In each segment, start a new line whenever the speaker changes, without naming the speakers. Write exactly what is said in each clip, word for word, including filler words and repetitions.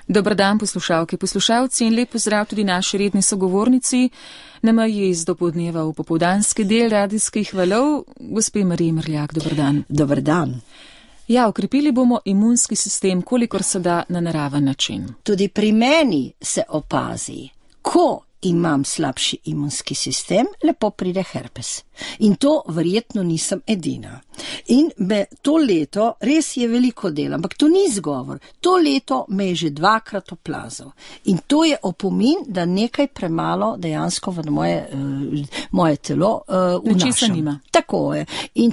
Dober dan, poslušalke, poslušalci in lep pozdrav tudi naši redni sogovornici na meji iz dopoldneva v popoldanski del radijskih valov, gospe Mariji Mrljak. Dober dan.
Dober dan.
Ja, okrepili bomo imunski sistem, kolikor se da na naraven način.
Tudi pri meni se opazi, ko imam slabši imunski sistem, lepo pride herpes. In to verjetno nisem edina. In me to leto, res je veliko dela, ampak to ni izgovor. To leto me je že dvakrat oplazil. In to je opomin, da nekaj premalo dejansko v moje, uh, moje telo uh, vnašam. Tako je. In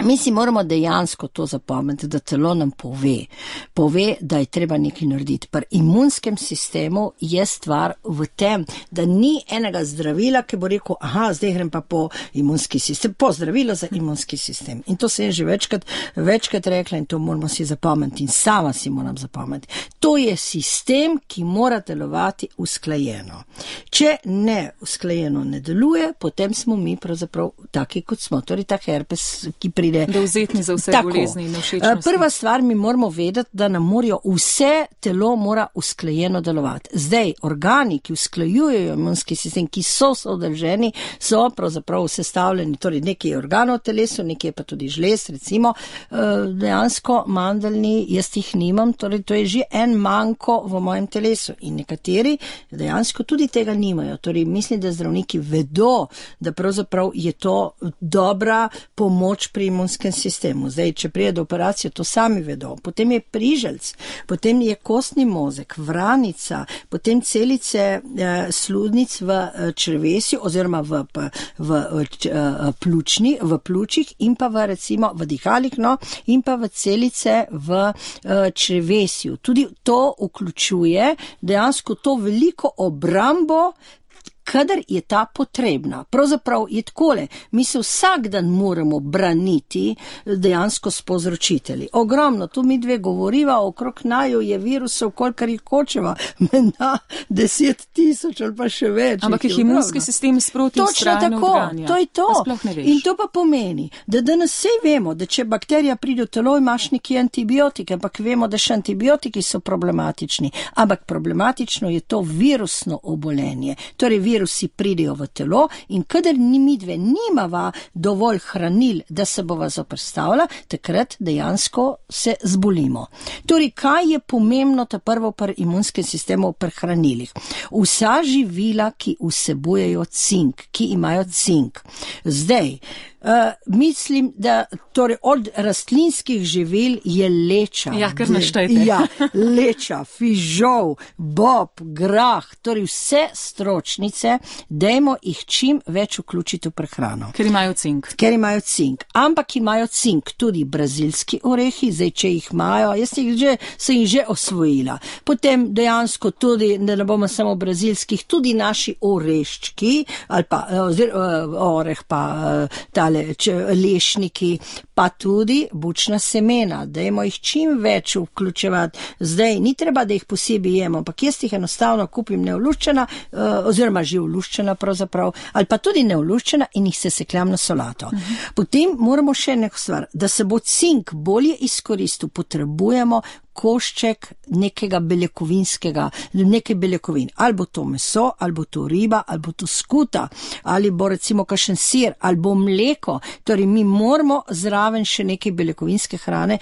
mi si moramo dejansko to zapomniti, da telo nam pove, pove, da je treba nekaj narediti. Pri imunskem sistemu je stvar v tem, da ni enega zdravila, ki bo rekel, aha, zdaj grem pa po imunski sistem, po zdravilo za imunski sistem. In to se je že večkrat, večkrat rekla in to moramo si zapomniti in sama si moram zapomniti. To je sistem, ki mora delovati usklajeno. Če ne usklajeno ne deluje, potem smo mi pravzaprav taki, kot smo. Torej ta herpes, ki pride
dovzetni za vse bolezni in všečnosti.
Prva stvar, mi moramo vedeti, da nam morajo vse telo mora usklajeno delovati. Zdaj, organi, ki usklajujejo imunski sistem, ki so sodrženi, so pravzaprav sestavljeni, torej nekaj je organov v telesu, nekaj je pa tudi žlez, recimo, dejansko mandeljni, jaz jih nimam, torej to je že en manko v mojem telesu in nekateri dejansko tudi tega nimajo. Torej mislim, da zdravniki vedo, da pravzaprav je to dobra pomoč pri imunskem sistemu. Zdaj, če prije do operacije, to sami vedo. Potem je priželc, potem je kostni mozek, vranica, potem celice eh, sluznic v eh, črevesju oziroma v, v, v eh, pljučni, v pljučih in pa v recimo v dihalih, no, in pa v celice v eh, črevesju. Tudi to vključuje dejansko to veliko obrambo, kadar je ta potrebna. Pravzaprav je takole, mi se vsak dan moramo braniti dejansko s povzročitelji. Ogromno, tu mi dve govoriva, okrog naju je virusov, kolikor jih hočeva, na deset tisoč ali pa še več.
Ampak jih imunski sistem sproti vztrajno odganja.
To je to. In to pa pomeni, da danes vse vemo, da če bakterija pride v telo, imaš neki antibiotike, ampak vemo, da še antibiotiki so problematični. Ampak problematično je to virusno obolenje. Torej, virusi pridejo v telo in kadar ni midve nimava dovolj hranil, da se bova zoperstavila, takrat dejansko se zbolimo. Torej, kaj je pomembno ta prvo pri imunskem sistemu pri hranilih? Vsa živila, ki vsebujejo cink, ki imajo cink. Zdaj, Uh, mislim, da torej od rastlinskih živil je leča.
Ja, kar naštejte.
Ja, leča, fižol, bob, grah, torej vse stročnice, dajmo jih čim več vključiti v prehrano.
Ker imajo cink.
Ker imajo cink. Ampak imajo cink tudi brazilski orehi, zdaj, če jih imajo, jaz jih že, sem jih že osvojila. Potem dejansko tudi, da ne bomo samo brazilskih, tudi naši oreščki, ali pa ozir, oreh pa ta lešniki, pa tudi bučna semena, dajmo jih čim več vključevati. Zdaj, ni treba, da jih posebej jemo, ampak jaz jih enostavno kupim neoluščena, oziroma že oluščena pravzaprav, ali pa tudi neoluščena in jih sesekljam na solato. Uh-huh. Potem moramo še neko stvar, da se bo cink bolje izkoristil, potrebujemo košček nekega beljakovinskega, nekaj beljakovin. Ali bo to meso, ali bo to riba, ali bo to skuta, ali bo recimo kakšen sir, ali bo mleko. Torej, mi moramo zraven še nekaj beljakovinske hrane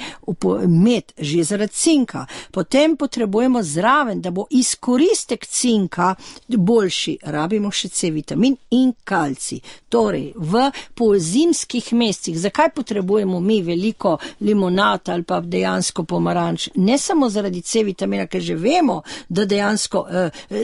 imeti, že zaradi cinka. Potem potrebujemo zraven, da bo izkoristek cinka boljši. Rabimo še C vitamin in kalcij. Torej, v pozimskih mesecih, zakaj potrebujemo mi veliko limonata ali pa dejansko pomaranč? Ne samo zaradi C vitamina, ker že vemo, da dejansko,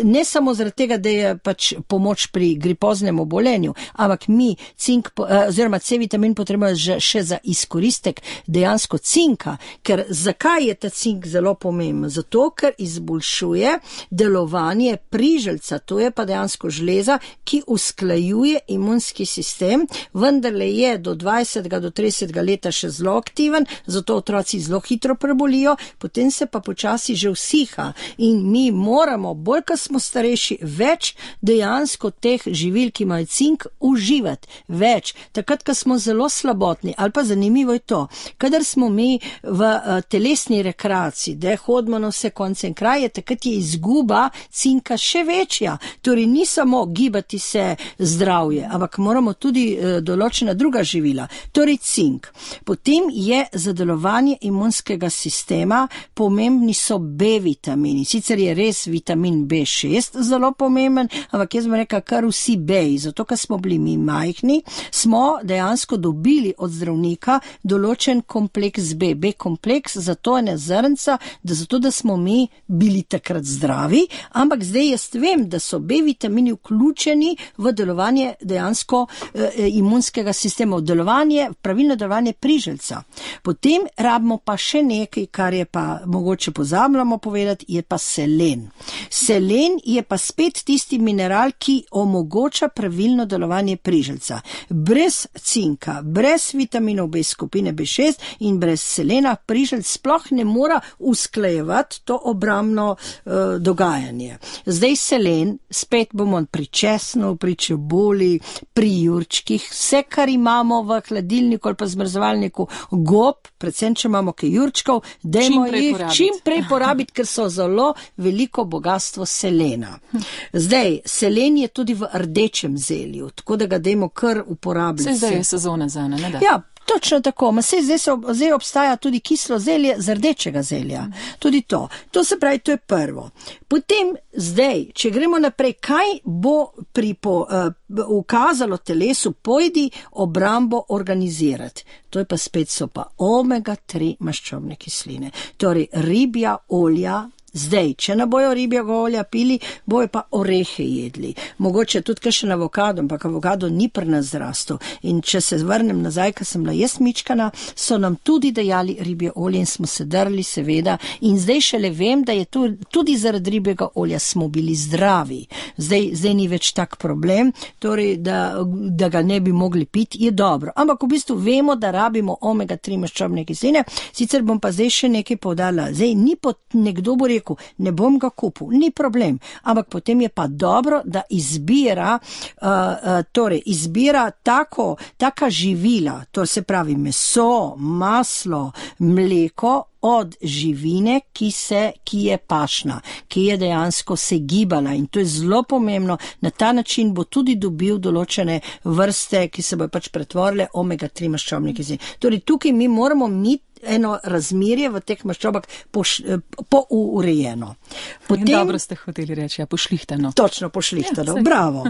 ne samo zaradi tega, da je pač pomoč pri gripoznem obolenju, ampak mi cink, oziroma C vitamin potrebujemo še za izkoristek dejansko cinka, ker zakaj je ta cink zelo pomemben? Zato, ker izboljšuje delovanje priželca, to je pa dejansko žleza, ki usklajuje imunski sistem, vendarle je do dvajsetega do tridesetega leta še zelo aktiven, zato otroci zelo hitro prebolijo, potem se pa počasi že usiha in mi moramo, bolj ko smo starejši, več dejansko teh živil, ki imajo cink, uživati. Več. Takrat, ko smo zelo slabotni, ali pa zanimivo je to, kadar smo mi v uh, telesni rekreaciji, da hodimo na vse konce in kraje, takrat je izguba cinka še večja. Torej ni samo gibati se zdravje, ampak moramo tudi uh, določena druga živila. Torej cink. Potem je za delovanje imunskega sistema pomembni so B vitamini. Sicer je res vitamin B šest zelo pomemben, ampak jaz bom rekla kar vsi B-ji. Zato, ker smo bili mi majhni, smo dejansko dobili od zdravnika določen kompleks B. B kompleks, zato je ne zrnca, da zato, da smo mi bili takrat zdravi, ampak zdaj jaz vem, da so B vitamini vključeni v delovanje dejansko eh, imunskega sistema, v delovanje, pravilno delovanje priželjca. Potem rabimo pa še nekaj, kar je pa mogoče pozabljamo povedati, je pa selen. Selen je pa spet tisti mineral, ki omogoča pravilno delovanje priželjca. Brez cinka, brez vitaminov B skupine B šest in brez selena priželjc sploh ne mora usklajevati to obrambno uh, dogajanje. Zdaj selen, spet bomo pri česnu, pri čebuli, pri jurčkih, vse, kar imamo v hladilniku ali pa zmrzovalniku, gob, predvsem, če imamo kaj jurčkov, dajmo jih čim prej porabiti, ker so zelo veliko bogatstvo selena. Zdaj, selen je tudi v rdečem zelju, tako da ga dajmo kar uporabljati.
Vse zdaj je sezona za ne, ne da?
Ja, točno tako. Ma sej zdaj, so, zdaj obstaja tudi kislo zelje z rdečega zelja. Tudi to. To se pravi, to je prvo. Potem zdaj, če gremo naprej, kaj bo pri po, uh, ukazalo telesu, pojdi obrambo organizirati. To je pa spet so pa omega tri maščobne kisline. Torej, ribja olja. Zdaj, če ne bojo ribjega olja pili, bojo pa orehe jedli. Mogoče tudi kakšen avokado, ampak avokado ni pri nas zrastel. In če se vrnem nazaj, ko sem bila jaz mičkana, so nam tudi dajali ribje olje in smo se drli, seveda. In zdaj šele vem, da je tu, tudi zaradi ribjega olja smo bili zdravi. Zdaj, zdaj ni več tak problem, torej, da, da ga ne bi mogli piti, je dobro. Ampak v bistvu vemo, da rabimo omega tri maščobne kisline, sicer bom pa zdaj še nekaj povdala. Zdaj, ni pot, nekdo bo rekel, ne bom ga kupil, ni problem, ampak potem je pa dobro, da izbira, uh, uh, torej izbira tako, taka živila, to se pravi meso, maslo, mleko, od živine, ki se, ki je pašna, ki je dejansko se gibala in to je zelo pomembno. Na ta način bo tudi dobil določene vrste, ki se bojo pač pretvorile omega tri maščobne kisline. Torej tukaj mi moramo mi eno razmerje v teh maščobah pourejeno. Po
Potem, dobro ste hoteli reči, ja, pošlihtano.
Točno, pošlihtano, ja, bravo.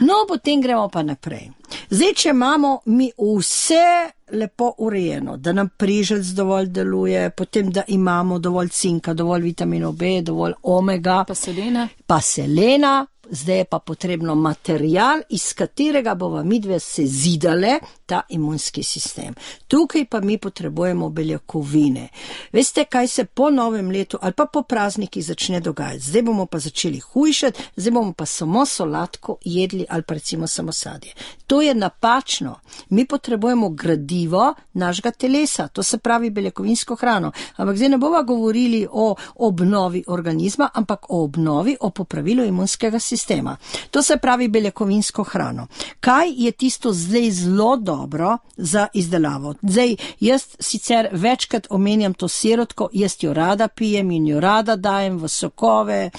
No, potem gremo pa naprej. Zdaj, če imamo mi vse lepo urejeno, da nam priželjc dovolj deluje, potem, da imamo dovolj cinka, dovolj vitaminov B, dovolj omega,
pa selena,
pa selena, zdaj je pa potrebno material, iz katerega bova midve se zidale ta imunski sistem. Tukaj pa mi potrebujemo beljakovine. Veste, kaj se po novem letu ali pa po praznikih začne dogajati? Zdaj bomo pa začeli hujšati, zdaj bomo pa samo solatko jedli ali pa recimo samo sadje. To je napačno. Mi potrebujemo gradivo našega telesa, to se pravi beljakovinsko hrano. Ampak zdaj ne bova govorili o obnovi organizma, ampak o obnovi, o popravilu imunskega sistema. To se pravi beljakovinsko hrano. Kaj je tisto zdaj zelo dobro za izdelavo? Zdaj, jaz sicer večkrat omenjam to sirotko, jaz jo rada pijem in jo rada dajem v sokove,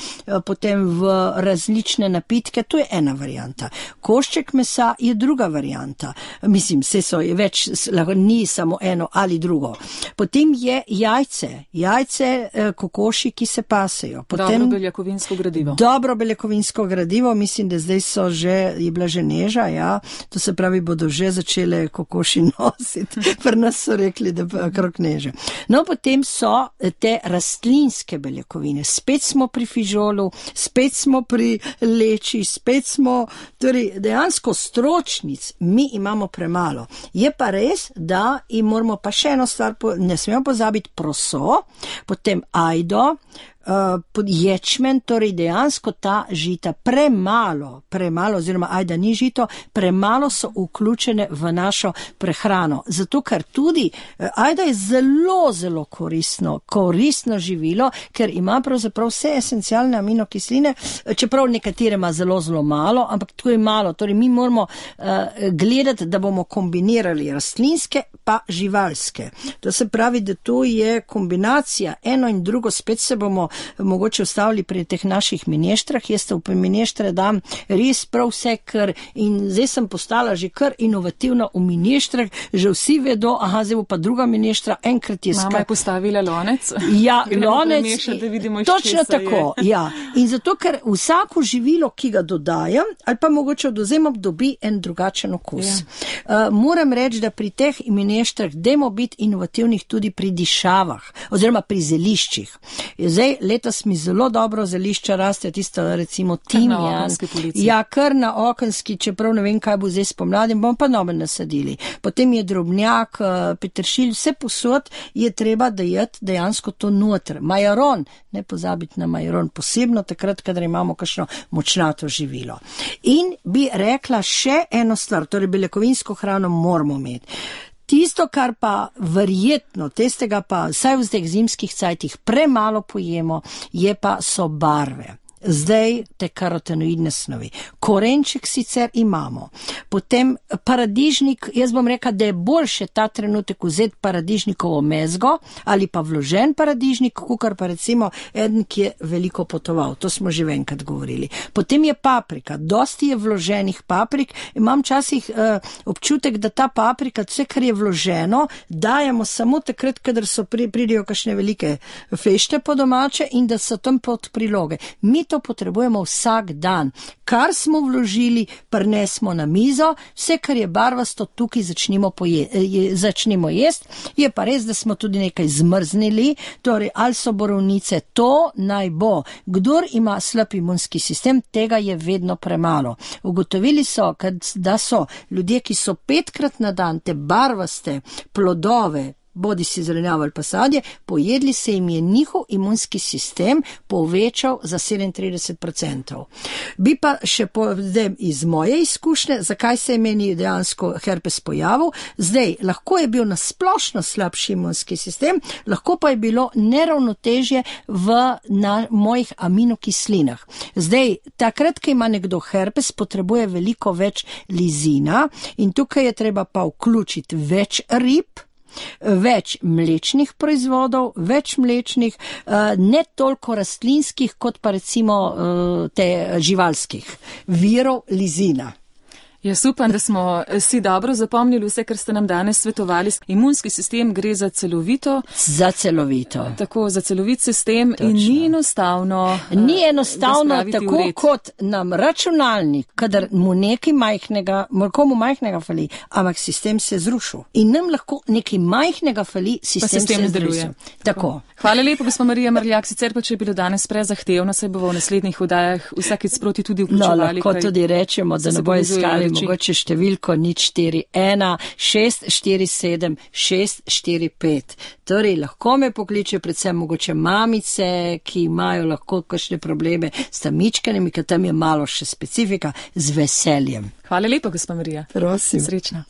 potem v različne napitke, to je ena varianta. Košček mesa je druga varianta. Mislim, se so več, ni samo eno ali drugo. Potem je jajce, jajce kokoši, ki se pasejo. Potem,
dobro beljakovinsko gradivo.
Dobro beljakovinsko gradivo, mislim, da zdaj so že, je bila že neža, ja, to se pravi, bodo že začele kokoši nositi. Pri nas so rekli, da pa krok neže. No, potem so te rastlinske beljakovine. Spet smo pri fižolu, spet smo pri leči, spet smo, torej dejansko stročnic mi imamo premalo. Je pa res, da in moramo pa še eno stvar, ne smemo pozabiti proso, potem ajdo, uh, ječmen, torej dejansko ta žita premalo, premalo oziroma ajda ni žito, premalo so vključene v našo prehrano. Zato, ker tudi uh, ajda je zelo, zelo koristno, koristno živilo, ker ima pravzaprav vse esencialne aminokisline, čeprav nekatere ima zelo, zelo malo, ampak tako je malo. Torej, mi moramo uh, gledati, da bomo kombinirali rastlinske pa živalske. To se pravi, da to je kombinacija, eno in drugo, spet se bomo mogoče ustavili pri teh naših mineštrah. Jaz te v mineštre dam res prav vse, ker in zdaj sem postala že kar inovativna v mineštrah, že vsi vedo, aha, zdaj bo pa druga mineštra, enkrat je skrat.
Mama je postavila lonec.
Ja, lonec.
Meša, da vidimo,
točno tako, je. Ja. In zato, ker vsako živilo, ki ga dodajam, ali pa mogoče odvzemam, dobi en drugačen okus. Ja. Uh, moram reči, da pri teh mineštrah dajmo biti inovativnih tudi pri dišavah, oziroma pri zeliščih. Zdaj, letos mi zelo dobro zelišča raste, tisto recimo timjan. Ja, kar na okenski, čeprav ne vem, kaj bo zdaj spomladi, bomo pa nove nasadili. Potem je drobnjak, peteršilj, vse posod je treba dajati dejansko to noter. Majaron, ne pozabiti na majaron, posebno takrat, kadar imamo kakšno močnato živilo. In bi rekla še eno stvar, torej beljakovinsko hrano moramo imeti. Tisto, kar pa verjetno, tistega pa vsaj v zdaj zimskih cajtih premalo pojemo, je pa so barve. Zdaj te karotenoidne snovi. Korenček sicer imamo. Potem paradižnik, jaz bom rekla, da je boljše ta trenutek vzeti paradižnikovo mezgo ali pa vložen paradižnik, kukar pa recimo eden, ki je veliko potoval. To smo že enkrat govorili. Potem je paprika. Dosti je vloženih paprik. Imam časih uh, občutek, da ta paprika, vse, kar je vloženo, dajemo samo takrat, kadar so pri, pridijo kakšne velike fešte po domače in da so tam pod priloge. Mi to potrebujemo vsak dan. Kar smo vložili, prinesmo na mizo, vse, kar je barvasto, tukaj začnimo, poje, je, začnimo jesti. Je pa res, da smo tudi nekaj zmrznili, torej ali so borovnice, to naj bo. Kdor ima slab imunski sistem, tega je vedno premalo. Ugotovili so, da so ljudje, ki so petkrat na dan te barvaste plodove, bodi si zelenjavo ali pa sadje, pojedli, se jim je njihov imunski sistem povečal za sedemintrideset odstotkov. Bi pa še povem iz moje izkušnje, zakaj se je meni dejansko herpes pojavil. Zdaj, lahko je bil nasplošno slabši imunski sistem, lahko pa je bilo neravnotežje v na mojih aminokislinah. Zdaj, takrat, ko ima nekdo herpes, potrebuje veliko več lizina in tukaj je treba pa vključiti več rib, več mlečnih proizvodov, več mlečnih, ne toliko rastlinskih, kot pa recimo te živalskih virov lizina.
Jaz upam, da smo si dobro zapomnili vse, kar ste nam danes svetovali. Imunski sistem gre za celovito.
Za celovito.
Tako, za celovit sistem. Točno. In ni enostavno.
Ni enostavno tako kot nam računalnik, kadar mu nekaj majhnega, komu majhnega fali, ampak sistem se zrušil. In nam lahko nekaj majhnega fali, sistem, sistem se zdeluje. Tako. tako.
Hvala lepo, gospod Marija Mrljak. Sicer pa, če je bilo danes prezahtevno, se bo v naslednjih vdajah vsakič sproti tudi vključevali.
No, lahko kaj, tudi rečemo, da ne bo iskali mogoče številko nič štiri ena šest štiri sedem šest štiri pet. Torej, lahko me pokliče predvsem mogoče mamice, ki imajo lahko kakšne probleme s tamičkanjem, ker tam je malo še specifika, z veseljem.
Hvala lepo, gospod Marija.
Prosim.
Srečno.